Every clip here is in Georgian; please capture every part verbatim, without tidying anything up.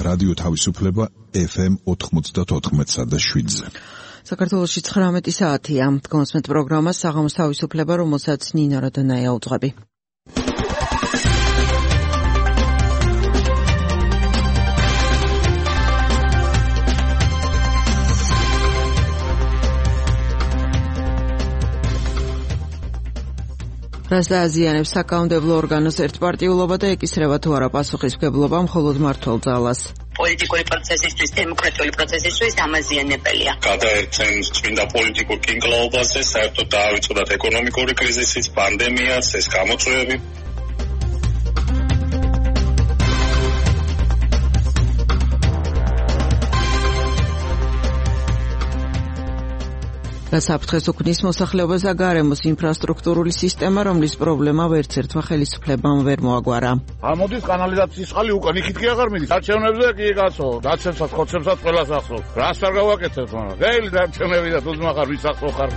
რადიო თავისუფლება ეფ ემ ოთხმოცდაოთხ და შვიდზე. საქართველოში ცხრამეტი საათია. გონსმეთ პროგრამას საღამოს თავისუფლება, რომელსაც ნინო როდონაია უძღვები. რას დააზიანებს საკანონმდებლო ორგანოს ერთპარტიულობა და ეკისრება თუ არა პასუხისმგებლობა მხოლოდ მმართველ ძალას? პოლიტიკური პროცესისთვის, დემოკრატიული პროცესისთვის ამაზიანებელია. გადაერთენ წმინდა პოლიტიკურ კინკლაობაზე, საერთოდ დაავიწყდათ ეკონომიკური კრიზისიც, პანდემიაც, ეს გამოწვევები. რა საფრთხეს უქმნის მოსახლეობას და გარემოს ინფრასტრუქტურული სისტემა, რომლის პრობლემა ვერც ერთმა ხელისუფლებამ ვერ მოაგვარა. ამოდის კანალიზაციის წყალი უკან, იქით კი აღარ მიდის. არჩევნებზე კი კაცო, დაცემსაც, ხოცემსაც ყველას ახსოვს. რას არ გავაკეთებთ, მაგრამ გეილი არჩევნები და თუძმა ხარ, ვის ახსოვ ხარ.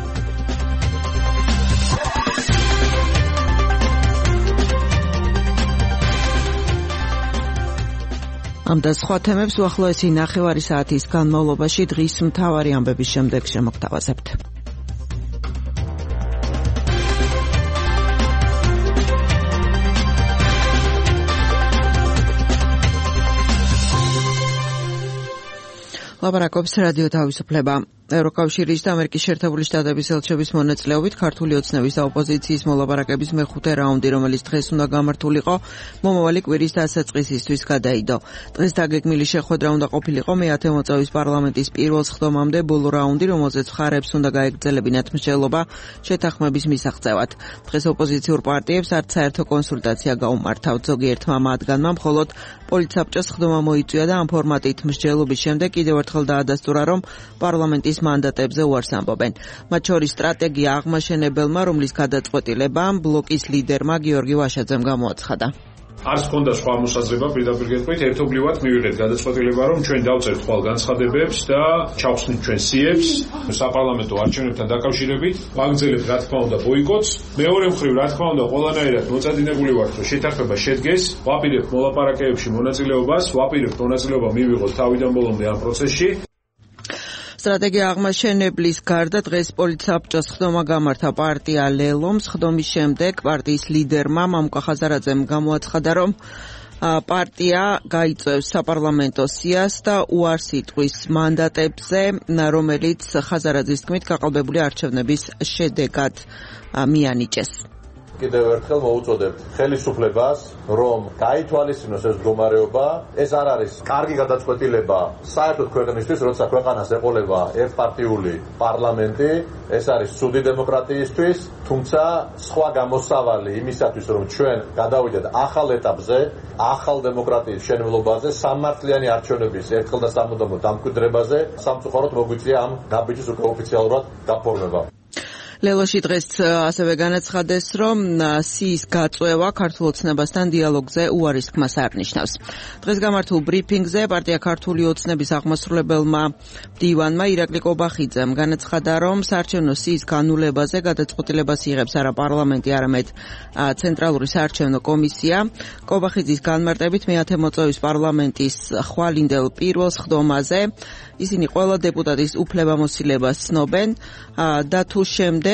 ამ და სხვა თემებს უახლოესი ნახევარი საათის განმავლობაში დღის მთავარი ამბების შემდეგ შემოგთავაზებთ. ლაპარაკობს რადიო თავისუფლება. ევროკავშირის და ამერიკის შეერთებული შტატების ელჩების მონაწილეობით ქართული ოცნების და ოპოზიციის მოლაპარაკების მეხუთე რაუნდი, რომელიც დღეს უნდა გამართულიყო, მომავალი კვირის დასაწყისისთვის გადაიდო. დღეს დაგეგმილი შეხვედრა უნდა ყოფილიყო მეათე მოწვევის პარლამენტის პირველ სხდომამდე ბოლო რაუნდი, რომელზეც მხარეებს უნდა გაეგრძელებინათ მსჯელობა შეთანხმების მისაღწევად. დღეს ოპოზიციურ პარტიებს არც საერთო კონსულტაცია გაუმართავთ. ზოგიერთმა მათგანმა მხოლოდ პოლიტსაბჭოს სხდომა მოიწვია და ამ ფორმატით მსჯელობის შემდეგ კიდევ ერთხელ დაადასტურა, რომ პარლამენტის მანდატებზე უარს ამბობენ. მათ შორის სტრატეგია აღმაშენებელმა, რომლის გადაწყვეტილებამ ბლოკის ლიდერმა გიორგი ვაშაძემ გამოაცხადა. არც ქონდა სხვა მოსაზრება, პირდაპირ გეტყვით, ერთობლივად მივიღეთ გადაწყვეტილება, რომ ჩვენ დავწერთ ხვალ განცხადებებს და ჩავხსნით ჩვენ სიებს საპარლამენტო არჩევნებთან დაკავშირებით, ვაგრძელებთ რა თქმა უნდა ბოიკოტს. მეორე მხრივ, რა თქმა უნდა, ყველანაირად მოწადინებული ვართ, რომ შეთანხმება შედგეს, ვაპირებთ მოლაპარაკებებში მონაწილეობას, ვაპირებთ მონაწილეობა მივიღოთ თავიდან ბოლომდე ამ პროცესში. სტრატეგია აღმაშენებლის გარდა დღეს პოლიტსაბჭოს სხდომა გამართა პარტია ლელომ. სხდომის შემდეგ პარტიის ლიდერმა მამუკა ხაზარაძემ გამოაცხადა, რომ პარტია გაიწევს საპარლამენტო სიას და უარს იტყვის მანდატებზე, რომელიც ხაზარაძის თქმით გაყალბებული არჩევნების შედეგად მიანიჭეს. კიდევ ერთხელ მოუწოდებთ ხელისუფლებას, რომ გაითვალისწინოს ეს მდგომარეობა. ეს არ არის კარგი გადაწყვეტილება საერთოდ ქვეყნისთვის, როცა ქვეყანას ეყოლება ერთპარტიული პარლამენტი. ეს არის ცუდი დემოკრატიისთვის, თუმცა სხვა გამოსავალი იმისათვის, რომ ჩვენ გადავიდეთ ახალ ეტაპზე, ახალ დემოკრატიის შენებლობაზე, სამართლიანი არჩევნების ერთხელ და სამუდამო დამკვიდრებაზე, სამწუხაროდ მოგვიწია ამ ნაბიჯის უკვე ოფიციალურად გაფორმება. ლელოში დღეს ასევე განაცხადეს, რომ სიის გაწევა ქართულ ოცნებასთან დიალოგზე უარის თქმას არ ნიშნავს. დღეს გამართულ ბრიფინგზე პარტია ქართული ოცნების აღმასრულებელმა მდივანმა ირაკლი კობახიძემ განაცხადა, რომ საარჩევნო სიის განულებაზე გადაწყვეტილებას იღებს არა პარლამენტი, არამედ ცენტრალური საარჩევნო კომისია. კობახიძის განმარტებით მეათე მოწვევის პარლამენტის ხვალინდელ პირველ სხდომაზე ისინი ყველა დეპუტატის უფლებამოსილებას ცნობენ და თუ შემდეგ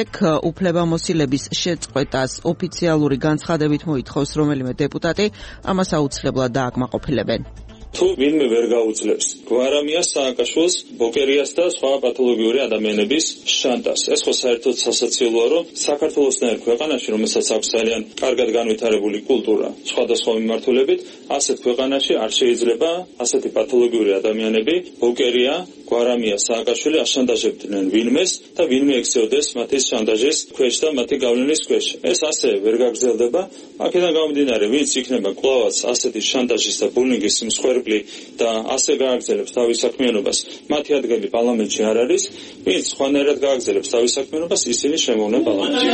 უფლებამოსილების შეწყვეტას ოფიციალური განცხადებით მოითხოვს რომელიმე დეპუტატი, ამას აუცილებლად დააკმაყოფილებენ. თუ ვინმე ვერ გაუძლებს გვარამიას, სააკაშვილს, ბოკერიას და სხვა პათოლოგიური ადამიანების შანტას. ეს ხო საერთოდ სასაცილოა, რომ საქართველოსნაირ ქვეყანაში, რომელსაც აქვს ძალიან კარგად განვითარებული კულტურა სხვადასხვა მიმართულებით, ასეთ ქვეყანაში არ შეიძლება ასეთი პათოლოგიური ადამიანები, ბოკერია, გვარამია, სააკაშვილი აშანტაჟებდნენ ვინმეს და ვინმე ექცეოდეს მათი შანტაჟის ქვეშ და მათი გავლენის ქვეშ. ეს ასე ვერ გაგრძელდება. აქედან გამომდინარე, ვინც იქნება კვლავაც ასეთი შანტაჟის და ბულინგის მსხვერპლი და ასე გააგრძელებს თავის საქმიანობას, მათი ადგილი პარლამენტში არ არის. ვინც სხვანაირად გააგრძელებს თავის საქმიანობას, ისინი შემოვიდნენ პარლამენტში.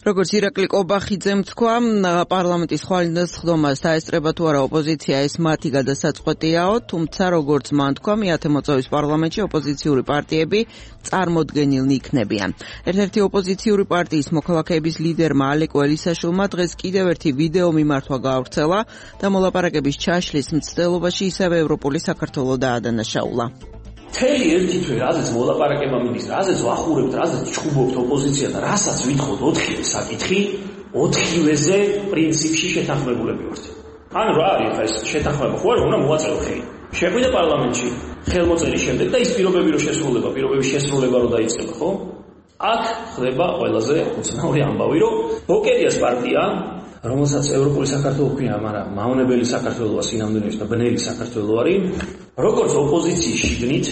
როგორც ირაკლი კობახიძემ თქვა, პარლამენტის ხვალინდას ხდომას დაესწრება თუ არა ოპოზიცია, ეს მათი გადასაწყვეტიაო, თუმცა როგორც მან თქვა, მეათე მოწვევის პარლამენტში ოპოზიციური პარტიები წარმოდგენილნი იქნებიან. ერთ-ერთი ოპოზიციური პარტიის მოქალაქეების ლიდერმა ალეკო ელისაშვილმა დღეს კიდევ ერთი ვიდეო მიმართვა გაავრცელა და მოლაპარაკების ჩაშლის მცდელობაში ისევ ევროპული საქართველო დაადანაშაულა. თელი ერთი თვე რაზეც მოლაპარაკება მიდის, რაზეც ვახურებთ, რაზეც ჩხუბობთ ოპოზიცია და რასაც ვითხოვთ ოთხივე საკითხი, ოთხივეზე პრინციპში შეთანხმებულები ვართ. ანუ რა არის ეს შეთანხმება? ხო არა, უნდა მოვაწერო ხელი. შეგვიდა პარლამენტში ხელმოწერის შემდეგ და ის პირობები რო შესრულება, პირობების შესრულება რო დაიწყება, ხო? აქ ხდება ყველაზე უცნაური ამბავი, რომ ბოკერიას პარტია, რომელსაც ევროპული საქართველო ქვია, მაგრამ მავნებელი საქართველოა სინამდვილეში და ბნელი საქართველო არის, როგორც ოპოზიციის შიგნით,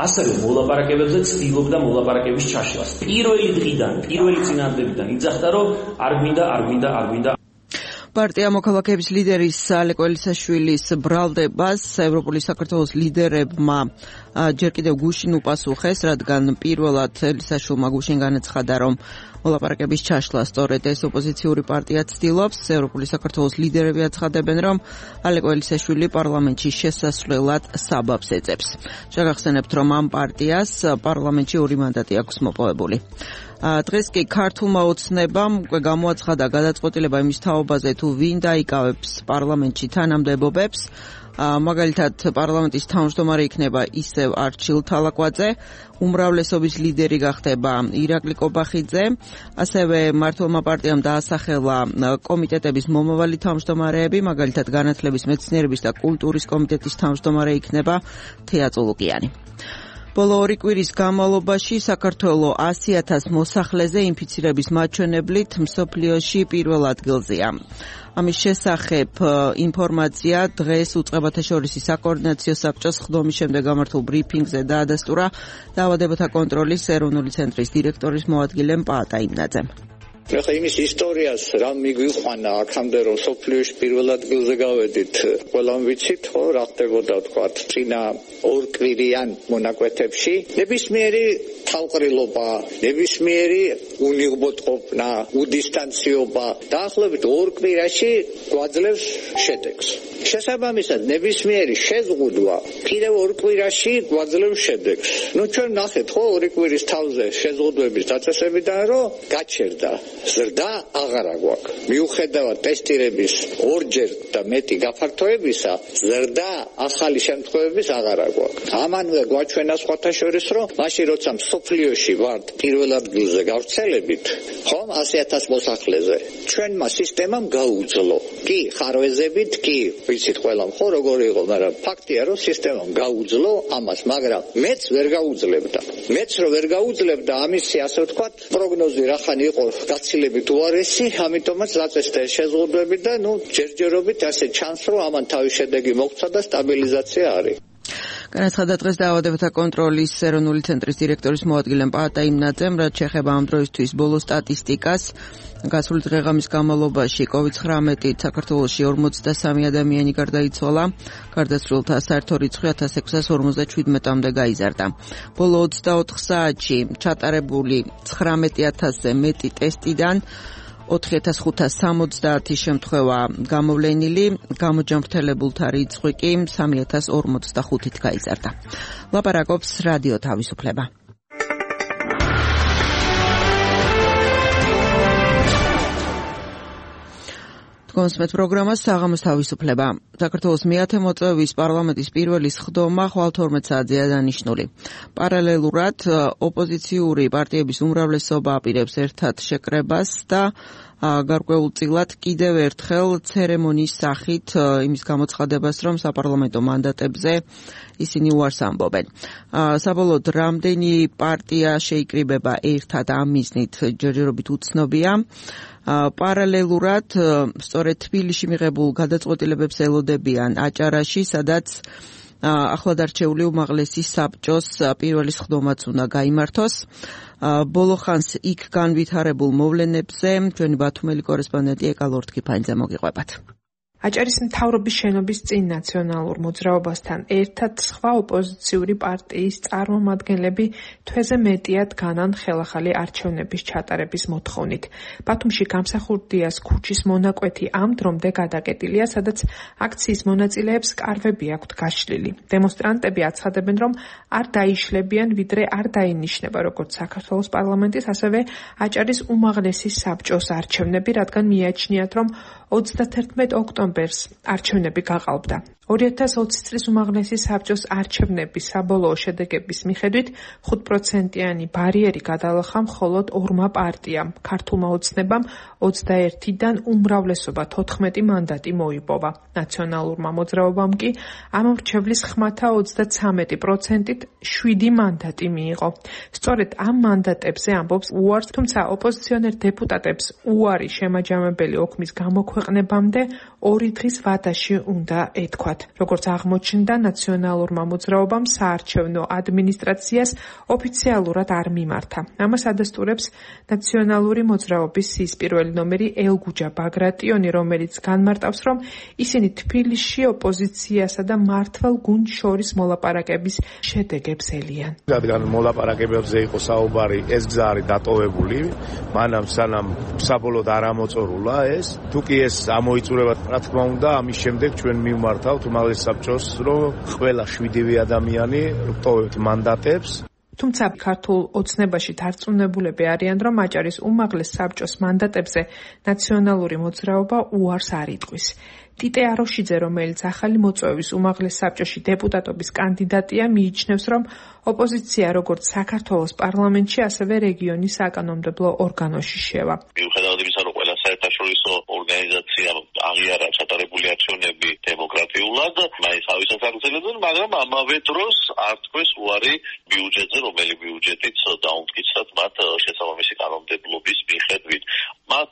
ასევე მოლაპარაკებებზე ცდილობდა მოლაპარაკების ჩაშლას. პირველი დღიდან, პირველი წინადადებიდან იძახდა, რომ არ გვინდა, არ გვინდა, არ გვინდა. პარტია მოქალაქეების ლიდერის ალეკო ელისაშვილის ბრალდებას ევროპული საქართველოს ლიდერებმა ჯერ კიდევ გუშინ უპასუხეს, რადგან პირველად ელისაშვილმა გუშინ განაცხადა, რომ მოლაპარაკების ჩაშლა სწორედ ეს ოპოზიციური პარტია ცდილობს. ევროპული საქართველოს ლიდერები აცხადებენ, რომ ალეკო ელისაშვილი პარლამენტში შესასვლელად საბაბს ეძებს. შეგახსენებთ, რომ ამ პარტიას პარლამენტში ორი მანდატი აქვს მოპოვებული. დღეს კი ქართულმა ოცნებამ უკვე გამოაცხადა გადაწყვეტილება იმის თაობაზე, თუ ვინ დაიკავებს პარლამენტში თანამდებობებს. მაგალითად, პარლამენტის თავმჯდომარე იქნება ისევ არჩილ თალაკვაძე, უმრავლესობის ლიდერი გახდება ირაკლი კობახიძე, ასევე მართლმა პარტიამ დაასახელა კომიტეტების მომავალი თავმჯდომარეები, მაგალითად, განათლების, მეცნიერების და კულტურის კომიტეტის თავმჯდომარე იქნება თეა წულუკიანი. ბოლო ორი კვირის განმავლობაში საქართველო ასი ათას მოსახლეზე ინფიცირების მაჩვენებლით მსოფლიოში პირველ ადგილზეა. ამის შესახებ ინფორმაცია დღეს უწყებათა შორისი საკოორდინაციო საბჭოს ხდომის შემდეგ გამართულ ბრიფინგზე დაადასტურა დაავადებათა კონტროლის ეროვნული ცენტრის დირექტორის მოადგილე პაატა იმნაძემ. ეხლა იმის ისტორიას რა მიგვიყვანა აქამდე, რომ სოფლიოში პირველ ადგილზე გავედით, ყველამ ვიცით, ხო, რა ხდებოდა თქვა წინა ორკვირიან მონაკვეთებში. ნებისმიერი თავყრილობა, ნებისმიერი უნიღბოტყოფნა, უდისტანციობა დაახლოებით ორ კვირაში გვაძლევს შედეგს. შესაბამისად, ნებისმიერი შეზღუდვა კიდევ ორ კვირაში გვაძლევს შედეგს. ნუ ჩვენ ნახეთ, ხო, ორი კვირის თავზე შეზღუდვების დაწესებიდან, რომ გაჩერდა. ზრდა აღარა გვაქვს. მიუხედავად ტესტირების ორჯერ და მეტი გაფართოებისა, ზრდა ახალი შემთხვევების აღარა გვაქვს. ამანვე გვაჩვენა სხვათა შორის, რომ მაშინ როცა მსოფლიოში ვართ პირველ ადგილზე გავრცელებით, ხომ ასი ათას მოსახლეზე, ჩვენმა სისტემამ გაუძლო. კი, ხარვეზებით, კი, ვიცით ყველამ, ხო, როგორი იყო, მაგრამ ფაქტია, რომ სისტემამ გაუძლო ამას, მაგრამ მეც ვერ გაუძლებდა. მეც რო ვერ გაუძლებდა, ამისი ასე ვთქვათ, პროგნოზი რახან იყო გაცილებით უარესი, ამიტომაც დაწესდა შეზღუდვები და ნუ ჯერჯერობით ასე ჩანს, რომ ამან თავის შედეგი მოგვცა და სტაბილიზაცია არის. განაცხადა დღეს დაავადებათა კონტროლის ეროვნული ცენტრის დირექტორის მოადგილე პაატა იმნაძემ, რაც შეეხება ამ დროისთვის ბოლო სტატისტიკას. გასული დღეღამის განმავლობაში კოვიდ ცხრამეტით საქართველოში ორმოცდასამი ადამიანი გარდაიცვალა, გარდაცვლილთა საერთო რიცხვი ათას ექვსას ორმოცდაჩვიდმეტამდე გაიზარდა. ბოლო ოცდაოთხ საათში ჩატარებული ცხრამეტი ათასზე მეტი ტესტიდან ოთხი ათას ხუთას სამოცდაათი შემთხვევა გამოვლენილი, გამოჯანმრთელებულთა რიცხვი კი სამი ათას ორმოცდახუთით გაიზარდა. ლაპარაკობს რადიო თავისუფლება. კონსმეთ პროგრამას საღამოს თავისუფლება. საქართველოს მეათე მოწვევის პარლამენტის პირველი სხდომა ხვალ თორმეტ საათზეა დანიშნული. პარალელურად ოპოზიციური პარტიების უმრავლესობა აპირებს ერთად შეკრებას და გარკვეულწილად კიდევ ერთხელ ცერემონიის სახით იმის გამოცხადებას, რომ საპარლამენტო მანდატებზე ისინი უარს ამბობენ. საბოლოოდ რამდენი პარტია შეიკრიბება ერთად ამ მიზნით ჯერჯერობით უცნობია. პარალელურად სწორედ თბილისში მიღებულ გადაწყვეტილებებს ელოდებიან აჭარაში, სადაც ახლად არჩეული უმაღლესი საბჭოს პირველი სხდომაც უნდა გაიმართოს. ბოლო ხანს იქ განვითარებულ მოვლენებზე ჩვენი ბათუმელი კორესპონდენტი ეკა ლორთქიფანიძე მოგიყვებათ. აჭარის მთავრობის შენობის წინ ნაციონალურ მოძრაობასთან ერთად სხვა ოპოზიციური პარტიის წარმომადგენლები თვეზე მეტიად განან ხელახალი არჩევნების ჩატარების მოთხოვნით. ბათუმში გამსახურდიას ქუჩის მონაკვეთი ამ დრომდე გადაკეტილია, სადაც აქციის მონაწილეებს კარვები აქვთ გაშლილი. დემონსტრანტები აცხადებენ, რომ არ დაიშლებიან, ვიდრე არ დაინიშნება როგორც საქართველოს პარლამენტის, ასევე აჭარის უმაღლესი საბჭოს არჩევნები, რადგან მიაჩნიათ, რომ ოცდათერთმეტ ოქტომბერს არჩევნები გაყალბდა. ორი ათას ოცი წლის უმაღლესი საბჭოს არჩევნების საბოლოო შედეგების მიხედვით ხუთ პროცენტიანი ბარიერი გადალახა მხოლოდ ორმა პარტიამ. ქართულმა ოცნებამ ოცდაერთიდან უმრავლესობა თოთხმეტი მანდატი მოიპოვა. ნაციონალურმა მოძრაობამ კი ამ მრჩევლის ხმათა ოცდაცამეტი პროცენტით შვიდი მანდატი მიიღო. სწორედ ამ მანდატებზე ამბობს უარს, თუმცა ოპოზიციონერ დეპუტატებს უარი შემაჯამებელი ოქმის გამოქვეყნებამდე ორი დღის ვადაში უნდა ეთქვათ. როგორც აღმოჩნდა, ნაციონალურმა მოძრაობამ საარჩევნო ადმინისტრაციას ოფიციალურად არ მიმართა. ამას ადასტურებს ნაციონალური მოძრაობის სისპირველი ნომერი ელგუჯა ბაგრატიონი, რომელიც განმარტავს, რომ ისინი თბილისში ოპოზიციასა და მართლ გუნდს შორის მოლაპარაკების შედეგებს ელიან. რადგან მოლაპარაკებებზე იყო საუბარი, ეს გზა არის დატოვებული, მანამ სანამ საბოლოოდ არ ამოწორულა ეს. თუ კი ეს ამოიწურება, რა თქმა უნდა, ამის შემდეგ ჩვენ მივმართავთ უმაღლეს საბჭოს, რომ ყველა შვიდივე ადამიანი ვტოვებთ მანდატებს. თუმცა ქართულ ოცნებაში დარწმუნებულები არიან, რომ აჭარის უმაღლეს საბჭოს მანდატებზე ნაციონალური მოძრაობა უარს არ იტყვის. ტიტე აროშიძე, რომელიც ახალი მოწვევის უმაღლეს საბჭოში დეპუტატობის კანდიდატია, მიიჩნევს, რომ ოპოზიცია როგორც საქართველოს პარლამენტში, ასევე რეგიონის საკანონმდებლო ორგანოში შევა. მიუხედავად იმისა, რომ ყველა საერთაშორისო ორგანიზაცია აღიარა ჩატარებული არჩევნები დემოკრატიულად, მაინც თავისას აგრძელებდნენ, მაგრამ ამავე დროს არ თქვეს უარი ბიუჯეტზე, რომელი ბიუჯეტიც დაუმტკიცათ მათ შესაბამისი კანონმდებლობის მიხედვით. მათ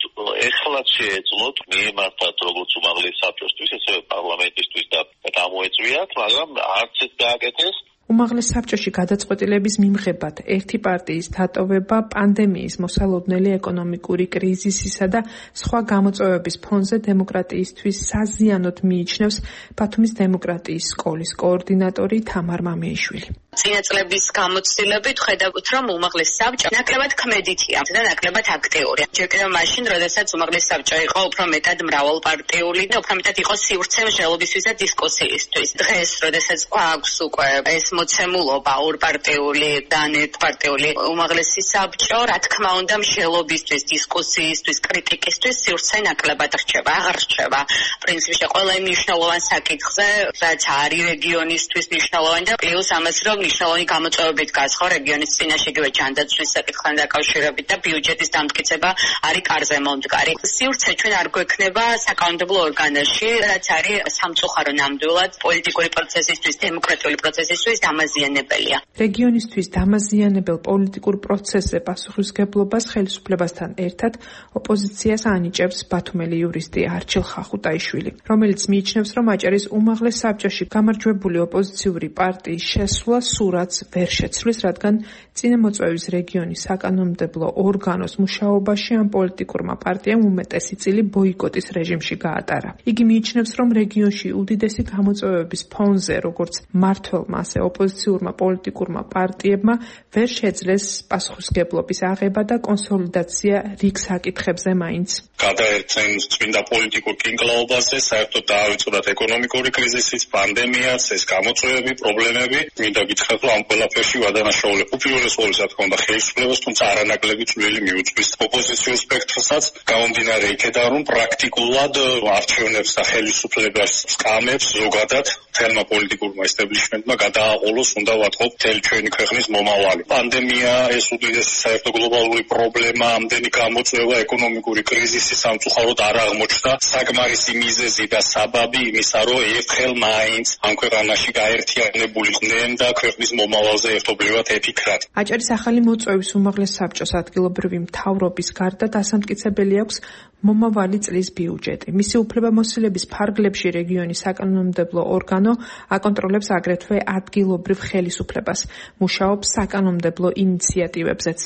ეხლაც შეეძლოთ მიემართათ როგორც უმაღლეს საბჭოსთვის, ასევე პარლამენტისთვის და გამოეწვიათ, მაგრამ არც ეს გააკეთეს. უმაღლეს საბჭოში გადაწყვეტილების მიმღებად ერთი პარტიის დატოვება პანდემიის, მოსალოდნელი ეკონომიკური კრიზისისა და სხვა გამოწვევების ფონზე დემოკრატიისთვის საზიანოდ მიიჩნევს ბათუმის დემოკრატიის სკოლის კოორდინატორი თამარ მამეიშვილი. წინა წლების გამოცდილებით ხედავთ, რომ უმაღლეს საბჭო ნაკლებად ქმედითია და ნაკლებად აქტიურია. ჯერ კიდევ მაშინ, როდესაც უმაღლეს საბჭო იყო უფრო მეტად მრავალპარტიული და უფრო მეტად იყო სივრცე მსჯელობისთვის და დისკუსიისთვის. დღეს, როდესაც აქვს უკვე ეს მოცემულობა ორპარტიული და ანეტპარტიული უმაღლესი საბჭო, რა თქმა უნდა, მსჯელობისთვის, დისკუსიისთვის, კრიტიკისთვის სივრცე ნაკლებად რჩება, აღარ რჩება. პრინციპში ყველა იმ მნიშვნელოვან საკითხზე, რაც არის რეგიონისთვის მნიშვნელოვანი და პლუს ამას, რომ მნიშვნელოვანი გამოწვევებით გასხო რეგიონის წინაშე იგივე ჯანდაცვის საკითხთან დაკავშირებით და ბიუჯეტის დამტკიცება არის კარზე მომდგარი. სივრცე ჩვენ არ გვექნება საკანონმდებლო ორგანოში, რაც არის სამწუხარო ნამდვილად პოლიტიკური პროცესისთვის, დემოკრატიული პროცესისთვის დამაზიანებელია. რეგიონისთვის დამაზიანებელ პოლიტიკურ პროცესზე პასუხისმგებლობას ხელისუფლებასთან ერთად ოპოზიციას ანიჭებს ბათუმელი იურისტი არჩილ ხახუტაიშვილი, რომელიც მიიჩნევს, რომ აჭარის უმაღლეს საბჭოში გამარჯვებული ოპოზიციური პარტიის შესვლა სურათს ვერ შეცვლის, რადგან წინამოწვევის რეგიონის საკანონმდებლო ორგანოს მუშაობაში ამ პოლიტიკურმა პარტიამ უმეტესი წილი ბოიკოტის რეჟიმში გაატარა. იგი მიიჩნევს, რომ რეგიონში უდიდესი გამოწვევების ფონზე, როგორც მმართველმა, ასე ოპოზიციურმა პოლიტიკურმა პარტიებმა ვერ შეძლეს პასუხისმგებლობის აღება და კონსოლიდაცია რიგ საკითხებზე მაინც. გადაერთენ წმინდა პოლიტიკურ კინკლაობაზე, საერთოდ დაავიწყდათ ეკონომიკური კრიზისიც, პანდემიაც, ეს გამოწვევები, პრობლემები. მინდა გითხრათ, რომ ამ ყველაფერში ვადანაშაულებ უპირველეს ყოვლისა, რა თქმა უნდა, ხელისუფლებას, თუმცა არანაკლები წვლილი მიუძღვის ოპოზიციურ სპექტრსაც, გამომდინარე იქედან, რომ პრაქტიკულად არჩევნებს და ხელისუფლებას სკამებს ზოგადად თელმა პოლიტიკურმა ესტაბლიშმენტმა გადააყოლოს, უნდა ვათქვათ, მთელი ჩვენი ქვეყნის მომავალი. პანდემია, ეს უდიდესი საერთო გლობალური პრობლემა, ამდენი გამოწვევა, ეკონომიკური კრიზისი სამწუხაროდ არ აღმოჩნდა საკმარისი მიზეზი და საბაბი იმისა, რომ ერთხელ მაინც ამ ქვეყანაში გაერთიანებულიყვნენ და ქვეყნის მომავალზე ერთობლივად ეფიქრათ. აჭარის ახალი მოწვევის უმაღლეს საბჭოს ადგილობრივი მთავრობის გარდა დასამტკიცებელი აქვს მომავალი წლის ბიუჯეტი. მისი უფლებამოსილების ფარგლებში რეგიონის საკანონმდებლო ორგანო აკონტროლებს აგრეთვე ადგილობრივ ხელისუფლებას, მუშაობს საკანონმდებლო ინიციატივებზეც.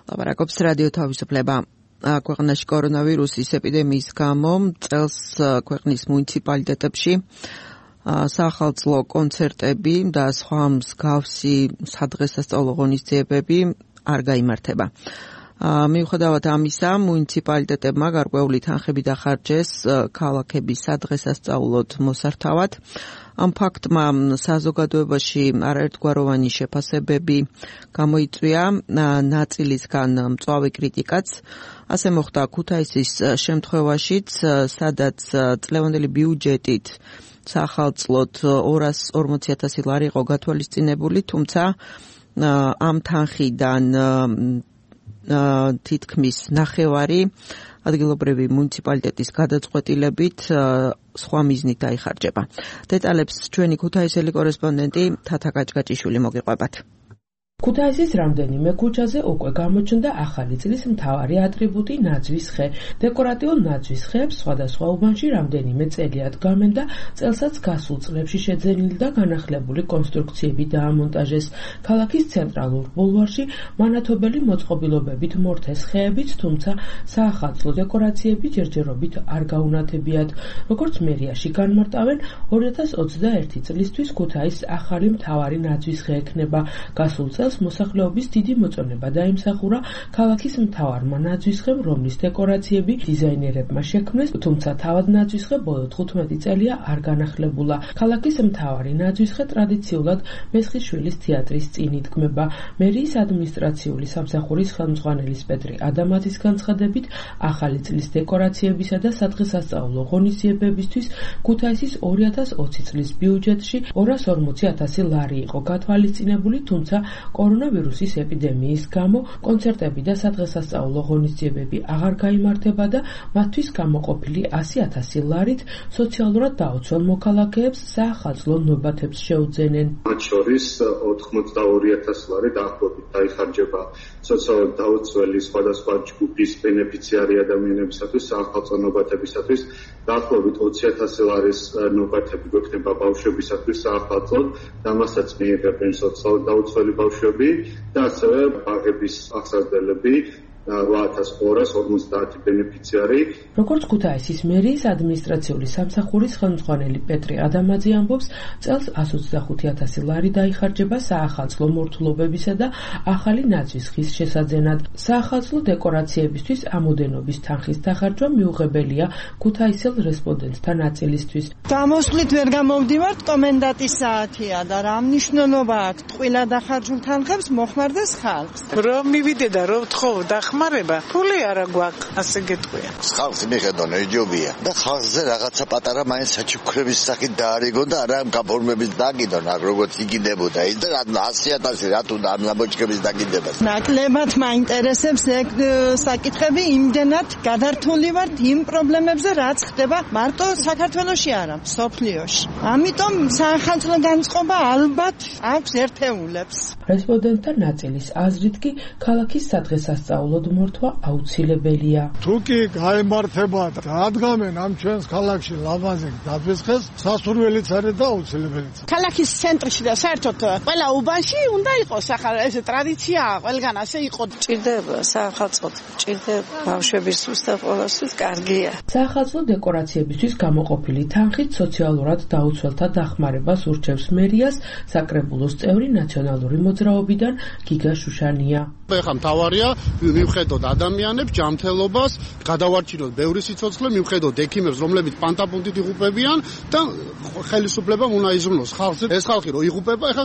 ლაპარაკობს რადიო თავისუფლება. ქვეყანაში კორონავირუსის ეპიდემიის გამო წელს ქვეყნის მუნიციპალიტეტებში საახალწლო კონცერტები და სხვა მსგავსი სადღესასწაულო ღონისძიებები არ გაიმართება. მიუხედავად ამისა, მუნიციპალიტეტებმა გარკვეული თანხები დახარჯეს ქალაქების სადღესასწაულოდ მოსართავად. ამ ფაქტმა საზოგადოებაში არაერთგვაროვანი შეფასებები გამოიწვია, ნაწილისგან მწვავე κρიტიკაც. ასე მოხდა ქუთაისის შემთხვევაშიც, სადაც წლევანდელი ბიუჯეტით საახალწლოდ ორას ორმოცი ათასი ლარი იყო გათვალისწინებული, თუმცა ამ თანხიდან თითქმის ნახევარი ადგილობრივი მუნიციპალიტეტის გადაწყვეტილებით სხვა მიზნით დაიხარჯება. დეტალებს ჩვენი ქუთაისელი კორესპონდენტი თათა კაჭკაჭიშვილი მოგიყვებათ. ქუთაისის რამდენიმე ქუჩაზე უკვე გამოჩნდა ახალი წლის მთავარი ატრიბუტი ნაძვის ხე. დეკორატიულ ნაძვის ხეებს სხვადასხვა უბანში რამდენიმე წელი ადგამენ და წელსაც გასულ წლებში შეძენილი და განახლებული კონსტრუქციები დაამონტაჟეს. ქალაქის ცენტრალურ ბულვარში მანათობელი მოწყობილობებით მორთეს ხეებით, თუმცა საახალწლო დეკორაციები ჯერჯერობით არ გაუნათებიათ. როგორც მერიაში განმარტავენ, ორი ათას ოცდაერთი წლისთვის ქუთაისს ახალი მთავარი ნაძვის ხე ექნება. გასულ წელს მოსახლეობის დიდი მოწონება დაიმსახურა ქალაქის მთავარმა ნაძვისხემ, რომლის დეკორაციები დიზაინერებმა შექმნეს, თუმცა თავად ნაძვისხე ბოლო თხუთმეტი წელია არ განახლებულა. ქალაქის მთავარი ნაძვისხე ტრადიციულად მესხიშვილის თეატრის წინ იდგმება. მერიის ადმინისტრაციული სამსახურის ხელმძღვანელის პეტრე ადამაძის განცხადებით, ახალი წლის დეკორაციებისა და სადღესასწაულო ღონისძიებებისთვის ქუთაისის ორი ათას ოცი წლის ბიუჯეტში ორას ორმოცი ათასი ლარი იყო გათვალისწინებული, თუმცა კორონავირუსის ეპიდემიის გამო კონცერტები და სადღესასწაულო ღონისძიებები აღარ გაიმართება და მათთვის გამოყოფილი ასი ათასი ლარით სოციალურად დაუცველ მოქალაქეებს საახალწლო ნობათებს შეუძენენ. მათ შორის ოთხმოცდაორი ათასი ლარი დაახლოებით დაიხარჯება სოციალურად დაუცველი სხვადასხვა ჯგუფის ბენეფიციარი ადამიანებისათვის საახალწლო ნობათებისათვის, დაახლოებით ოცი ათასი ლარის ნობათები გვექნება ბავშვებისათვის საახალწლოდ და მასაც მიიღებენ სოციალურად დაუცველი ბავშვები და ასევე ბაღების აღსაზრდელები რვა ათას ორას ორმოცდაათი ბენეფიციარი. როგორც ქუთაისის მერიის ადმინისტრაციული სამსახურის ხელმძღვანელი პეტრე ადამაძე ამბობს, წელს ასი ოცდახუთი ათასი ლარი დაიხარჯება საახალწლო მორთულობებისა და ახალი ნაძვის ხის შესაძენად. საახალწლო დეკორაციებისთვის ამოდენობის თანხის დახარჯვა მიუღებელია ქუთაისელ რესპონდენტთა ნაწილისთვის. გამოსვლით ვერ გამოვდივართ, კომენდანტის საათია და რა მნიშვნელობა აქვს ტყუილა დახარჯულ თანხებს მოხმარდეს ხალხს. რომ მივიდე და რომ თხოვდა ხმარება, ფული არა გვაქვს, ასე გეტყვია. ხალხს მიხედონ ეჯობია და ხალხზე რაღაცა პატარა მაინც საჩუქრების სახით დაარიგონ და არა გაფორმების დაგიდონ, აქ როგორც იგინებოდა ის და ასი ათასი რა თუ ამ ლამბოჩკების დაგიდებას. ნაკლებად მაინტერესებს ეგ საკითხები, იმდენად გადართული ვართ იმ პრობლემებზე, რაც ხდება მარტო საქართველოში არა, მსოფლიოში. ამიტომ საახალწლო განწყობა ალბათ აქვს ერთეულებს. რესპონდენტთა ნაწილის აზრით კი ქალაქის სადღესასწაულო მორთვა აუცილებელია. თუ კი გაემართება და ადგამენ ამ ჩვენს ქალაქში ლამაზი ნაძვისხეს, სასურველიც არის და აუცილებელიც. ქალაქის ცენტრში და საერთოდ ყველა უბანში უნდა იყოს ახლა ეს ტრადიციაა, ყველგან ასე იყო. ჭირდება საახალწლოდ, ჭირდება ბავშვების უსწრაფ ყოველთვის კარგია. საახალწლო დეკორაციებისთვის გამოყოფილი თანხით სოციალურად დაუცველთა დახმარებას ურჩევს მერიას საკრებულოს წევრი ნაციონალური მოძრაობიდან გიგა შუშანია. ეხლა მთავარია მივხედოთ ადამიანებს, ჯანმრთელობას, გადავარჩინოთ ბევრი სიცოცხლე, მივხედოთ ექიმებს, რომლებიც პანტაპუნტით იღუპებიან და ხელისუფლებამ უნდა იზრუნოს ხალხზე. ეს ხალხი რო იღუპება, ეხლა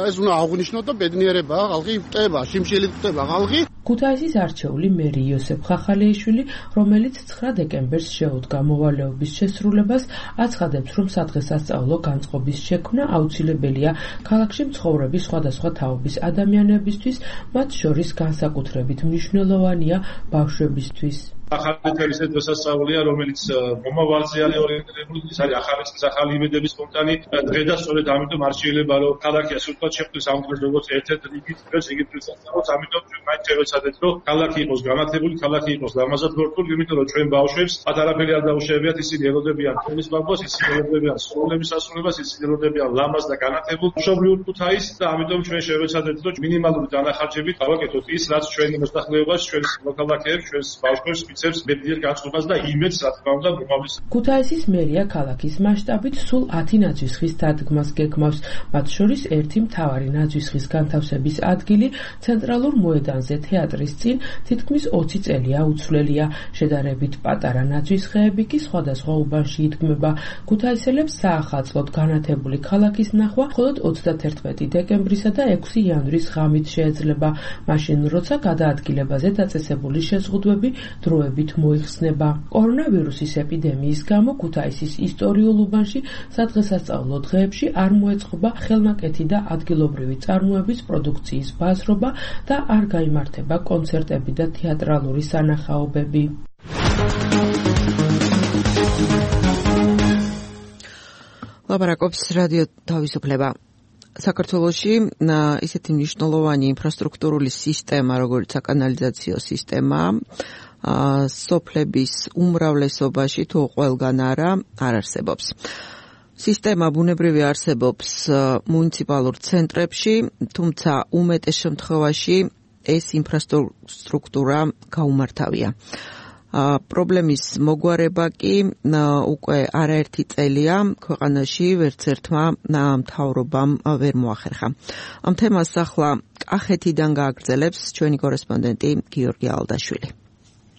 ეს უნდა აღნიშნოთ და ბედნიერებაა ხალხი, ხტება, შიმშილით ხტება ხალხი. ქუთაისის არჩეული მერი იოსებ ხახალეიშვილი, რომელიც ცხრა დეკემბერს შეუდგა მოვალეობის შესრულებას, აცხადებს, რომ სადღესასწაულო განწყობის შექმნა აუცილებელია ქალაქში მცხოვრები სხვადასხვა თაობის ადამიანებისთვის, მათ შორის განსაკუთრებით მნიშვნელოვანია ბავშვებისთვის. ახალი თელის დღესასწაულია, რომელიც მომავალზე არის ორიენტირებული, ის არის ახალი წლის ახალი იმედების სპონტანი დღე და სწორედ ამიტომ არ შეიძლება რომ ქალაქი ასე ვთქვათ შეხვდეს ამ დღეს როგორც ერთ-ერთ რიგით დღეს იგივე დღესასწაულს, ამიტომ ჩვენ მაინც შევეცადეთ რომ ქალაქი იყოს განათებული, ქალაქი იყოს ლამაზად გორტული, იმიტომ რომ ჩვენ ბავშვებს პატარაფერი არ დაუშვებიათ, ისინი ელოდებიან თემის ბაბოს, ისინი ელოდებიან სკოლების ასრულებას, ისინი ელოდებიან ლამაზ და განათებულ მშობლიურ ქუთაისს და ამიტომ ჩვენ შევეცადეთ რომ მინიმალური დანახარჯებით გავაკეთოთ ის, რაც ჩვენი მოსახლეობას, ჩვენს მოქალაქეებს, ჩვენს ბავშვებს მიცემს მეტიერ განწყობას და იმედს, რა თქმა უნდა, მომავლის. ქუთაისის მერია ქალაქის მასშტაბით სულ ათი ნაძვისხის დადგმას გეგმავს, მათ შორის ერთი მთავარი ნაძვისხის განთავსების ადგილი ცენტრალურ მოედანზე თეატრის წინ თითქმის ოცი წელია უცვლელია. შედარებით პატარა ნაძვისხეები კი სხვადასხვა უბანში იდგმება. ქუთაისელებს საახალწლოდ განათებული ქალაქის ნახვა მხოლოდ ოცდაათერთმეტი დეკემბრისა და ექვსი იანვრის ღამით შეეძლება, მაშინ როცა გადაადგილებაზე დაწესებული შეზღუდვები დროებით მოიხსნება. კორონავირუსის ეპიდემიის გამო ქუთაისის ისტორიულ უბანში სადღესასწაულო დღეებში არ მოეწყობა ხელნაკეთი და ადგილობრივი წარმოების პროდუქციის ბაზრობა და არ გაიმართება კონცერტები და თეატრალური სანახაობები. ლაპარაკობს რადიო თავისუფლება. საქართველოში ისეთი მნიშვნელოვანი ინფრასტრუქტურული სისტემა, როგორც საკანალიზაციო სისტემა, სოფლების უმრავლესობაში თუ ყველგან არა, არ არსებობს. სისტემა ბუნებრივი არსებობს მუნიციპალურ ცენტრებში, თუმცა უმეტეს შემთხვევაში ეს ინფრასტრუქტურა გაუმართავია. პრობლემის მოგვარება კი უკვე არაერთი წელია ქვეყანაში ვერც ერთმა მთავრობამ ვერ მოახერხა. ამ თემას ახლა კახეთიდან გააგრძელებს ჩვენი კორესპონდენტი გიორგი ალდაშვილი.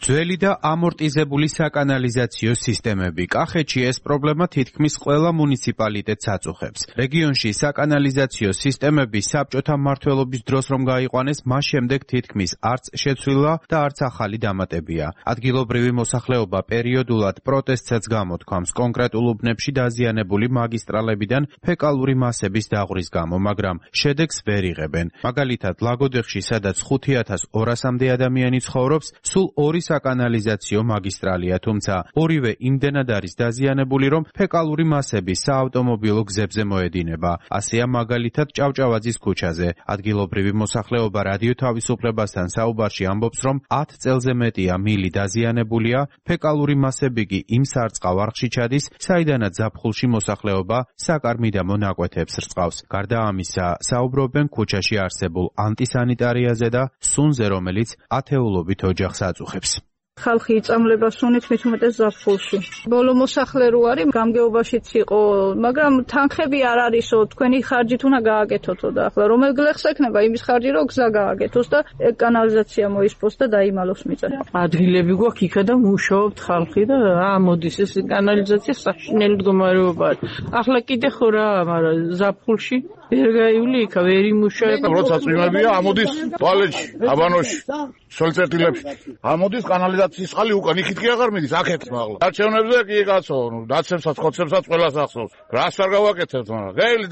ძველი და ამორტიზებული საკანალიზაციო სისტემები. კახეთში ეს პრობლემა თითქმის ყველა მუნიციპალიტეტს აწუხებს. რეგიონში საკანალიზაციო სისტემები საბჭოთა მმართველობის დროს რომ გაიყვანეს, მას შემდეგ თითქმის არც შეცვლილა და არც ახალი დამატებია. ადგილობრივი მოსახლეობა პერიოდულად პროტესტსაც გამოთქვამს კონკრეტულ უბნებში დაზიანებული მაგისტრალებიდან ფეკალური მასების დაღვრის გამო, მაგრამ შედეგს ვერ იღებენ. მაგალითად, ლაგოდეხში, სადაც ხუთი ათას ორასამდე ადამიანი ცხოვრობს, სულ ორი საკანალიზაციო მაგისტრალია, თუმცა ორივე იმდენად არის დაზიანებული, რომ ფეკალური მასები საავტომობილო გზებზე მოედინება. ასეა მაგალითად ჭავჭავაძის ქუჩაზე. ადგილობრივი მოსახლეობა რადიო თავისუფლებასთან საუბარში ამბობს, რომ ათ წელზე მეტია მილი დაზიანებულია, ფეკალური მასები კი იმ სარწყავ არხში ჩადის, საიდანაც ზაფხულში მოსახლეობა საკარმიდამო ნაკვეთებს რწყავს. გარდა ამისა, საუბრობენ ქუჩაში არსებულ ანტისანიტარიაზე და სუნზე, რომელიც ათეულობით ოჯახს აწუხებს. ხალხი იწამლება სუნით მით უმეტეს ზაფხულში. ბოლო მოსახლე რო არის, გამგეობაშიც იყო, მაგრამ თანხები არ არისო, თქვენი ხარჯით უნდა გააკეთოთო და ახლა რომელ გლეხს ექნება იმის ხარჯი, რომ გზა გააკეთოს და კანალიზაცია მოისპოს და დაიმალოს მიწა. ადგილები გვაქვს იქა და მუშაობთ ხალხი და აა მოდის ეს კანალიზაცია საშინელი მდგომარეობაა. ახლა კიდე ხო რა, მაგრამ ზაფხულში ვერ გაივლი იქა, ვერ იმუშავება. როცა წვიმებია, ამოდის ტუალეტში, აბანოში, სოლწერტილებში. ამოდის კანალიზაციის წყალი უკან იქით კი აღარ მიდის, აქეთ მაღლა. არჩევნებზე კი კაცო, დაცემსაც, ხოცებსაც ყველას ახსოვს. რას არ გავაკეთებთ, მაგრამ გეილი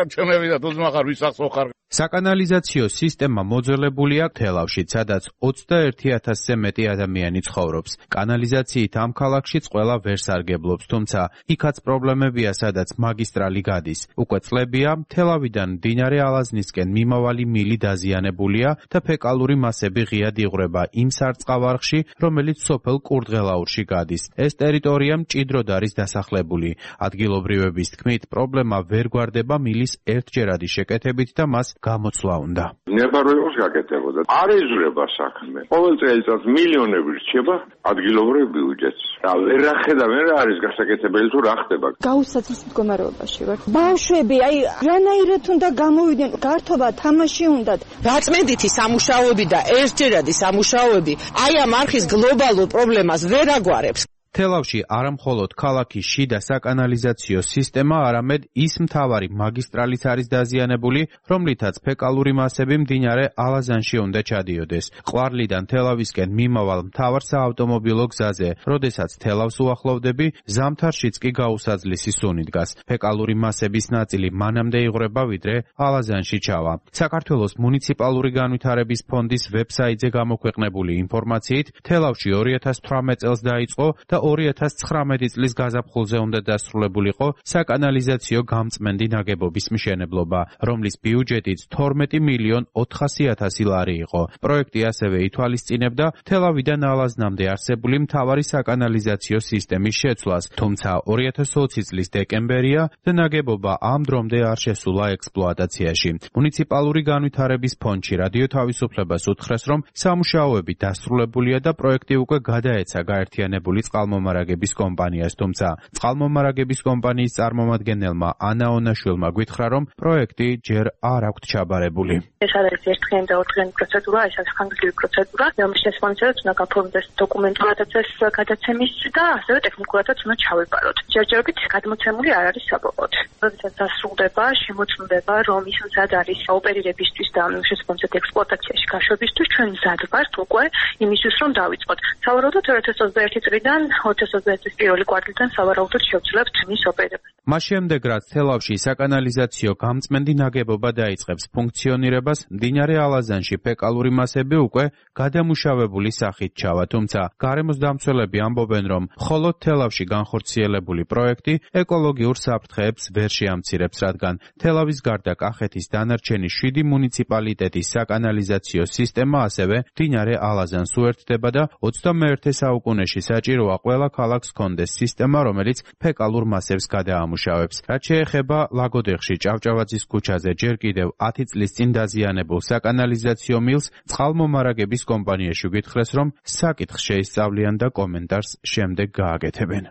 არჩევნები და თუძმა ხარ, ვის ახსოვ ხარ. საკანალიზაციო სისტემა მოძველებულია თელავში, სადაც ოცდაერთი ათასზე მეტი ადამიანი ცხოვრობს. კანალიზაციით ამ ქალაქშიც ყველა ვერ სარგებლობს, თუმცა იქაც პრობლემებია, სადაც მაგისტრალი გადის. უკვე წლებია, თელავიდან მდინარე ალაზნისკენ მიმავალი მილი დაზიანებულია და ფეკალური მასები ღიად იღვრება იმ სარწყავ არხში, რომელიც სოფელ კურდღელაურში გადის. ეს ტერიტორია მჭიდროდ არის დასახლებული. ადგილობრივების თქმით, პრობლემა ვერ გვარდება მილის ერთჯერადი შეკეთებით და მას გამოცვლა უნდა. ნებარვებას გაკეთებოდა. არ ეძვრება საქმე. ყოველ წელიწადს მილიონები რჩება ადგილობრივ ბიუჯეტს. და ვერ ახედავენ რა არის გასაკეთებელი თუ რა ხდება. გაუსაცის მდგომარეობაში ვარ. ბავშვები, აი, რანაირად უნდა გამოვიდნენ, გართობა თამაში უნდათ. გაწმენდითი სამუშაოები და ერთჯერადი სამუშაოები აი ამ არხის გლობალურ პრობლემას ვერ აგვარებს. თელავში არამხოლოდ ქალაქის შიდა საკანალიზაციო სისტემა, არამედ ის მთავარი მაგისტრალიც არის დაზიანებული, რომლითაც ფეკალური მასები მდინარე ალაზანში უნდა ჩადიოდეს. ყვარლიდან თელავისკენ მიმავალ მთავარ საავტომობილო გზაზე, როდესაც თელავს უახლოვდები, ზამთარშიც კი გაუსაძლისი სუნი დგას. ფეკალური მასების ნაწილი მანამდე იღვრება, ვიდრე ალაზანში ჩავა. საქართველოს მუნიციპალური განვითარების ფონდის ვებსაიტზე გამოქვეყნებული ინფორმაციით, თელავში ორი ათას თვრამეტ წელს დაიწყო და ორი ათას ცხრამეტი წლის გაზაფხულზე უნდა დასრულებულიყო საკანალიზაციო გამწმენდი ნაგებობის მშენებლობა, რომლის ბიუჯეტიც თორმეტი მილიონ ოთხასი ათასი ლარი იყო. პროექტი ასევე ითვალისწინებდა თელავიდან ალაზნამდე არსებული მთავარი საკანალიზაციო სისტემის შეცვლას, თუმცა ორი ათას ოცი წლის დეკემბერია და ნაგებობა ამ დრომდე არ შესულა ექსპლუატაციაში. მუნიციპალური განვითარების ფონდში რადიო თავისუფლებას უთხრეს, რომ სამუშაოები დასრულებულია და პროექტი უკვე გადაეცა გაერთიანებული წყალმომარაგების კომპანიას, თუმცა წყალმომარაგების კომპანიის წარმომადგენელმა ანა ონაშვილმა გვითხრა, რომ პროექტი ჯერ არ აქვთ ჩაბარებული. ეს არის ერთდღიანი და ორდღიანი პროცედურა, ეს არის ხანგრძლივი პროცედურა, რომელშიც შესაბამისად უნდა გაფორმდეს დოკუმენტურადაც ეს გადაცემის და ასევე ტექნიკურადაც უნდა ჩავებაროთ. ჯერჯერობით გადმოცემული არ არის საბოლოოდ. როდესაც დასრულდება, შემოწმდება, რომ ის მზად არის ოპერირებისთვის და შესაბამისად ექსპლუატაციაში გაშვებისთვის, ჩვენ მზად ვართ უკვე იმისთვის, რომ დავიწყოთ. სავარაუდოდ ორი ათას ოცდაერთი წლიდან ორი ათას ოცდაერთი წლის პირველი კვარტალიდან სავარაუდოდ შევძლებთ მის ოპერირებას. მას შემდეგ, რაც თელავში საკანალიზაციო გამწმენდი ნაგებობა დაიწყებს ფუნქციონირებას, მდინარე ალაზანში ფეკალური მასები უკვე გადამუშავებული სახით ჩავა, თუმცა გარემოს დამცველები ამბობენ, რომ მხოლოდ თელავში განხორციელებული პროექტი ეკოლოგიურ საფრთხეებს ვერ შეამცირებს, რადგან თელავის გარდა კახეთის დანარჩენი შვიდი მუნიციპალიტეტის საკანალიზაციო სისტემა ასევე მდინარე ალაზანს უერთდება და ოცდამეერთე საუკუნეში საჭიროა ყველა ქალაქს ჰქონდეს სისტემა, რომელიც ფეკალურ მასებს გადაამუშავებს. რაც შეეხება ლაგოდეხში ჭავჭავაძის ქუჩაზე ჯერ კიდევ ათი წლის წინ დაზიანებულ საკანალიზაციო მილს, წყალმომარაგების კომპანიაში გითხრეს, რომ საკითხს შეისწავლიან და კომენტარს შემდეგ გააკეთებენ.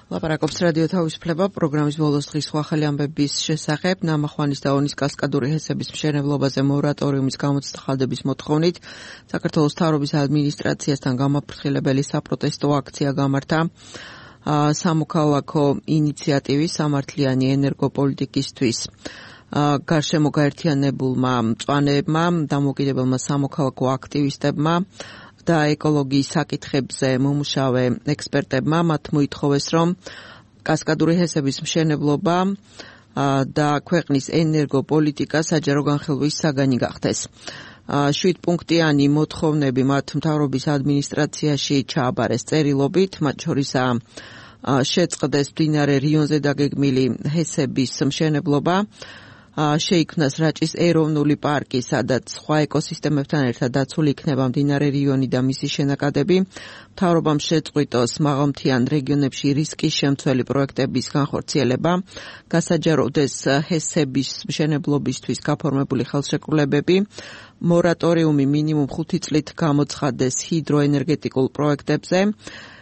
ლაპარაკობს რადიო თავისუფლება პროგრამის ბოლოს დღის ახალი ამბების შესახებ. ნამახვანის და ონის კასკადური ჰესების მშენებლობაზე მორატორიუმის გამოცდების მოთხოვნით საქართველოს მთავრობის ადმინისტრაციასთან გამაფრთხილებელი საპროტესტო აქცია გამართა. სამოქალაქო ინიციატივის სამართლიანი ენერგოპოლიტიკისთვის გარშემო გაერთიანებულმა მწვანეებმა, დამოუკიდებელმა სამოქალაქო აქტივისტებმა და ეკოლოგიის საკითხებზე მომუშავე ექსპერტებმა მათ მოითხოვეს, რომ კასკადური ჰესების მშენებლობა და ქვეყნის ენერგოპოლიტიკა საჯარო განხილვის საგანი გახდეს. შვიდ პუნქტიანი მოთხოვნები მათ მთავრობის ადმინისტრაციაში ჩააბარეს წერილობით, მათ შორისაა შეწყდეს მდინარე რიონზე დაგეგმილი ჰესების მშენებლობა, შეიქმნას რაჭის ეროვნული პარკი, სადაც სხვა ეკოსისტემებთან ერთად დაცული იქნება მდინარე რიონი და მისი შენაკადები. მთავრობამ შეწყვიტოს მაღალმთიან რეგიონებში რისკის შემცველი პროექტების განხორციელება, გასაჯაროდეს ჰესების მშენებლობისთვის გაფორმებული ხელშეკრულებები, მორატორიუმი მინიმუმ ხუთი წლით გამოცხადდეს ჰიდროენერგეტიკულ პროექტებზე,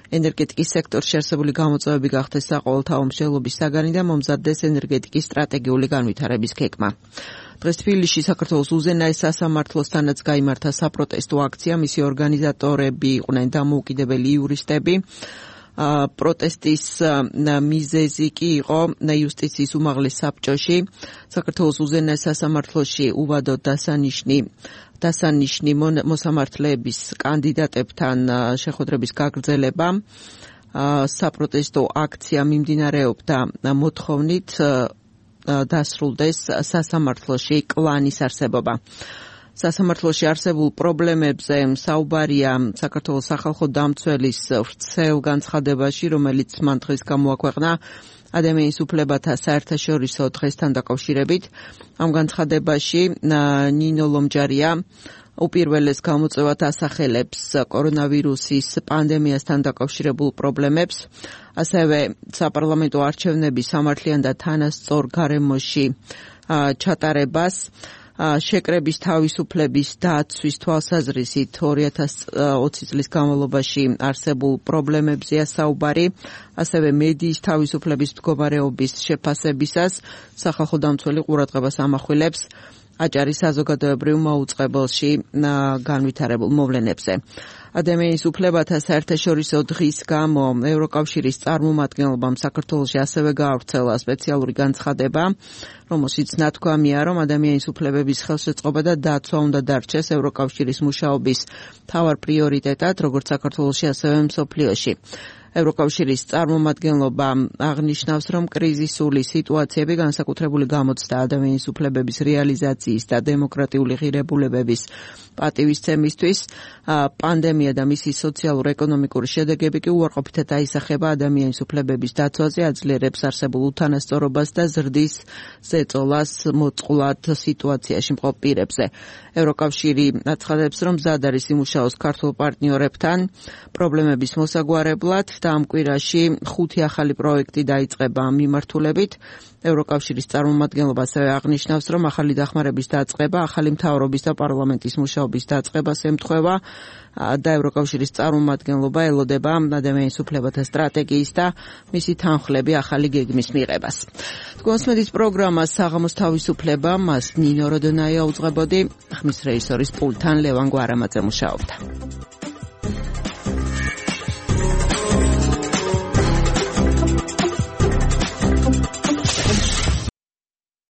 ენერგეტიკის სექტორში არსებული გამოწვევები გახდეს საყოველთაო მშენებლობის საგანი და მომზადდეს ენერგეტიკის სტრატეგიული განვითარების გეგმა. დღეს თბილისში საქართველოს უზენაეს სასამართლოსთანაც გაიმართა საპროტესტო აქცია, მისი ორგანიზატორები იყვნენ დამოუკიდებელი იურისტები. პროტესტის მიზეზი კი იყო იუსტიციის უმაღლეს საბჭოში, საქართველოს უზენაეს სასამართლოში უვადოდ დასანიშნი დასანიშნი მოსამართლეების კანდიდატებთან შეხვედრების გაგრძელება. საპროტესტო აქცია მიმდინარეობდა მოთხოვნით დასრულდეს სასამართლოში კლანის არსებობა. სასამართლოში არსებულ პრობლემებზე საუბარია საქართველოს სახალხო დამცველის ვრცელ განცხადებაში, რომელიც მან დღეს გამოაქვეყნა ადამიანის უფლებათა საერთაშორისო დღესთან დაკავშირებით. ამ განცხადებაში ნინო ლომჯარია უპირველეს გამოწვევად ასახელებს კორონავირუსის პანდემიასთან დაკავშირებულ პრობლემებს, ასევე საპარლამენტო არჩევნების სამართლიან და თანასწორ გარემოში ჩატარებას, შეკრების თავისუფლების დაცვის თვალსაზრისით ორი ათას ოცი წლის განმავლობაში არსებულ პრობლემებზეა საუბარი, ასევე მედიის თავისუფლების მდგომარეობის შეფასებისას სახალხო დამცველი ყურადღებას ამახვილებს აჭარის საზოგადოებრივ მოუწყებელში განვითარებულ მოვლენებზე. ადამიანის უფლებათა საერთაშორისო დღის გამო ევროკავშირის წარმომადგენლობამ საქართველოში ასევე გაავრცელა სპეციალური განცხადება, რომელშიც ნათქვამია, რომ ადამიანის უფლებების ხელშეწყობა და დაცვა უნდა დარჩეს ევროკავშირის მუშაობის მთავარ პრიორიტეტად, როგორც საქართველოში, ასევე მსოფლიოში. ევროკავშირის წარმომადგენლობა აღნიშნავს, რომ კრიზისული სიტუაციები განსაკუთრებული გამოცდა ადამიანის უფლებების რეალიზაციის და დემოკრატიული ღირებულებების პატივისცემისთვის, პანდემია და მისი სოციალურ-ეკონომიკური შედეგები კი უარყოფითად აისახება ადამიანის უფლებების დაცვაზე, აძლიერებს არსებულ უთანასწორობას და ზრდის ზეწოლას მოწყვლად სიტუაციაში მყოფ პირებზე. ევროკავშირი აცხადებს, რომ მზად არის იმუშაოს ქართულ პარტნიორებთან პრობლემების მოსაგვარებლად და ამ კვირაში ხუთი ახალი პროექტი დაიწყება ამ მიმართულებით. ევროკავშირის წარმომადგენლობა ასევე აღნიშნავს, რომ ახალი დახმარების დაწყება ახალი მთავრობის და პარლამენტის მუშაობის დაწყებას ემთხვევა და ევროკავშირის წარმომადგენლობა ელოდება ადამიანის უფლებათა სტრატეგიის და მისი თანხლები ახალი გეგმის მიღებას. თქვენს პროგრამას საღამოს თავისუფლება მას ნინო როდონაია უძღვებოდი, ხმის რეჟისორის პულტთან ლევან გვარამაძე მუშაობდა.